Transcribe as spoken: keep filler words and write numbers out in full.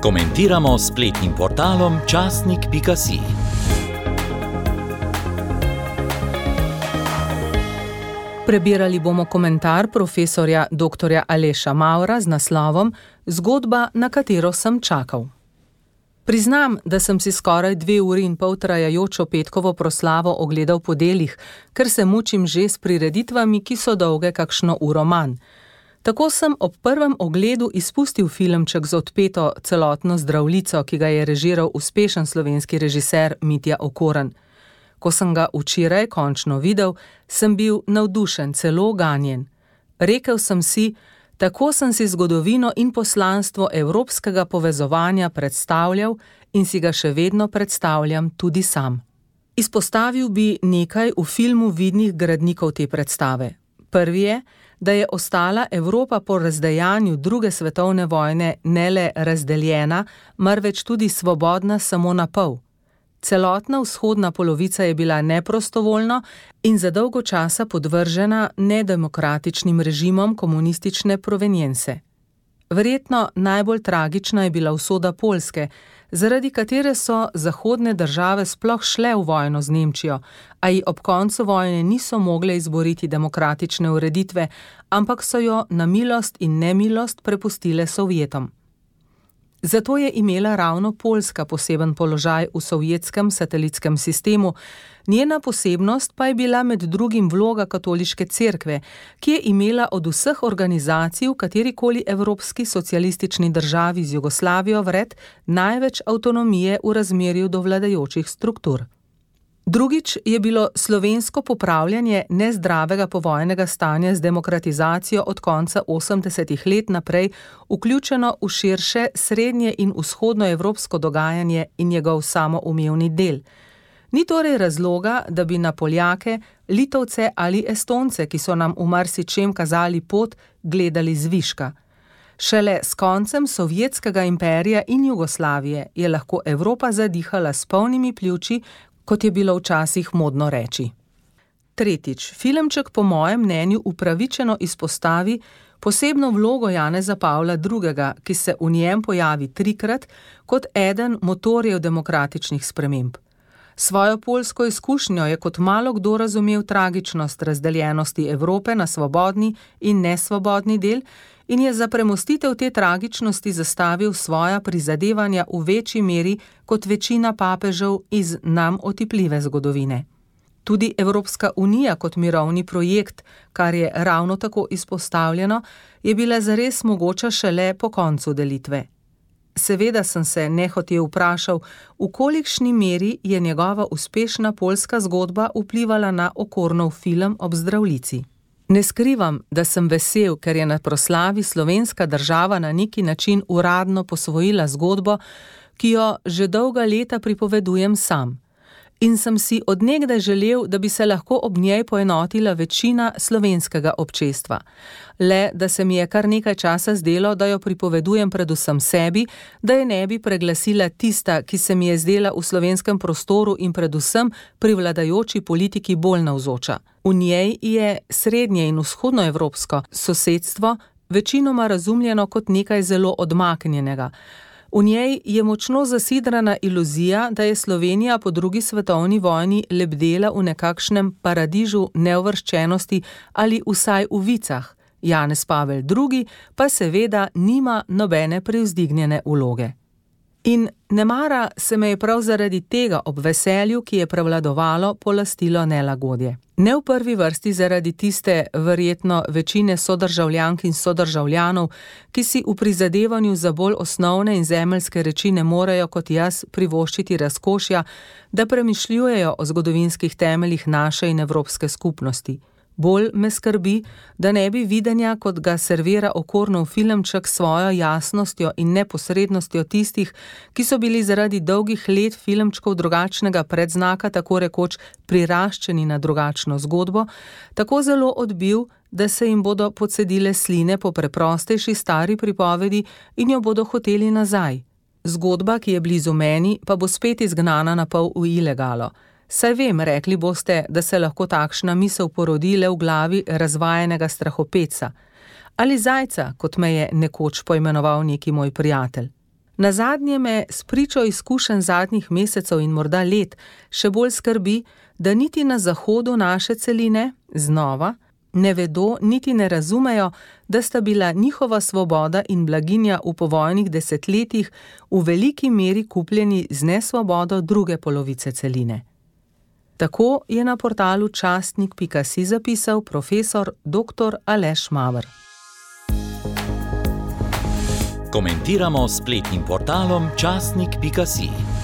Komentiramo s spletnim portalom časnik pika si. Prebirali bomo komentar profesorja doktorja Aleša Mavra z naslovom Zgodba, na katero sem čakal. Priznam, da sem si skoraj dve uri in pol trajajočo petkovo proslavo ogledal po delih, ker se mučim že s prireditvami, ki so dolge kakšno uro manj. Tako sem ob prvem ogledu izpustil filmček z odpeto celotno zdravljico, ki ga je režiral uspešen slovenski režiser Mitja Okorn. Ko sem ga včeraj končno videl, sem bil navdušen, celo ganjen. Rekel sem si, tako sem si zgodovino in poslanstvo evropskega povezovanja predstavljal in si ga še vedno predstavljam tudi sam. Izpostavil bi nekaj v filmu vidnih gradnikov te predstave. Prvi je, da je ostala Evropa po razdejanju druge svetovne vojne ne le razdeljena, marveč tudi svobodna samo na pol. Celotna vzhodna polovica je bila neprostovoljno in za dolgo časa podvržena nedemokratičnim režimom komunistične provenience. Verjetno najbolj tragična je bila usoda Poljske, zaradi katere so zahodne države sploh šle v vojno z Nemčijo, a ji ob koncu vojne niso mogle izboriti demokratične ureditve, ampak so jo na milost in nemilost prepustile Sovjetom. Zato je imela ravno Poljska poseben položaj v sovjetskem satelitskem sistemu, njena posebnost pa je bila med drugim vloga katoliške cerkve, ki je imela od vseh organizacij v katerikoli evropski socialistični državi z Jugoslavijo vred največ avtonomije v razmerju do vladajočih struktur. Drugič je bilo slovensko popravljanje nezdravega povojnega stanja z demokratizacijo od konca osemdesetih let naprej vključeno v širše srednje in vzhodnoevropsko dogajanje in njegov samoumevni del. Ni torej razloga, da bi na Poljake, Litovce ali Estonce, ki so nam v marsičem kazali pot, gledali zviška. Šele s koncem sovjetskega imperija in Jugoslavije je lahko Evropa zadihala s polnimi pljuči, kot je bilo včasih modno reči. Tretjič, filmček po mojem mnenju upravičeno izpostavi posebno vlogo Janeza Pavla drugega, ki se v njem pojavi trikrat kot eden motorjev demokratičnih sprememb. Svojo poljsko izkušnjo je kot malo kdo razumel tragičnost razdeljenosti Evrope na svobodni in nesvobodni del in je za premostitev te tragičnosti zastavil svoja prizadevanja v večji meri kot večina papežev iz nam otipljive zgodovine. Tudi Evropska unija kot mirovni projekt, kar je ravno tako izpostavljeno, je bila zares mogoča šele po koncu delitve. Seveda sem se nehote vprašal, v kolikšni meri je njegova uspešna poljska zgodba vplivala na Okornov film ob zdravljici. Ne skrivam, da sem vesel, ker je na proslavi slovenska država na neki način uradno posvojila zgodbo, ki jo že dolga leta pripovedujem sam. In sem si od nekdaj želel, da bi se lahko ob njej poenotila večina slovenskega občestva. Le, da se mi je kar nekaj časa zdelo, da jo pripovedujem predvsem sebi, da je ne bi preglasila tista, ki se mi je zdela v slovenskem prostoru in predvsem pri vladajoči politiki bolj navzoča. V njej je srednje in vzhodnoevropsko sosedstvo večinoma razumljeno kot nekaj zelo odmaknjenega. V njej je močno zasidrana iluzija, da je Slovenija po drugi svetovni vojni lebdela v nekakšnem paradižu neuvrščenosti ali vsaj v vicah. Janez Pavel drugi pa seveda nima nobene prevzdignjene vloge. In nemara se me je prav zaradi tega ob veselju, ki je prevladovalo, polastilo nelagodje. Ne v prvi vrsti zaradi tiste verjetno večine sodržavljank in sodržavljanov, ki si v prizadevanju za bolj osnovne in zemeljske reči ne morejo kot jaz privoščiti razkošja, da premišljujejo o zgodovinskih temeljih naše in evropske skupnosti. Bolj me skrbi, da ne bi videnja, kot ga servira Okornov filmček svojo jasnostjo in neposrednostjo tistih, ki so bili zaradi dolgih let filmčkov drugačnega predznaka tako rekoč priraščeni na drugačno zgodbo, tako zelo odbil, da se jim bodo pocedile sline po preprostejši stari pripovedi in jo bodo hoteli nazaj. Zgodba, ki je blizu meni, pa bo spet izgnana na pol v ilegalo. Saj vem, rekli boste, da se lahko takšna misel porodi le v glavi razvajenega strahopeca. Ali zajca, kot me je nekoč poimenoval neki moj prijatelj. Nazadnje me spričo izkušenj zadnjih mesecev in morda let še bolj skrbi, da niti na zahodu naše celine, znova, ne vedo niti ne razumejo, da sta bila njihova svoboda in blaginja v povojnih desetletjih v veliki meri kupljeni z nesvobodo druge polovice celine. Tako je na portalu častnik pika si zapisal profesor doktor Aleš Maver. Komentiramo s spletnim portalom častnik pika si.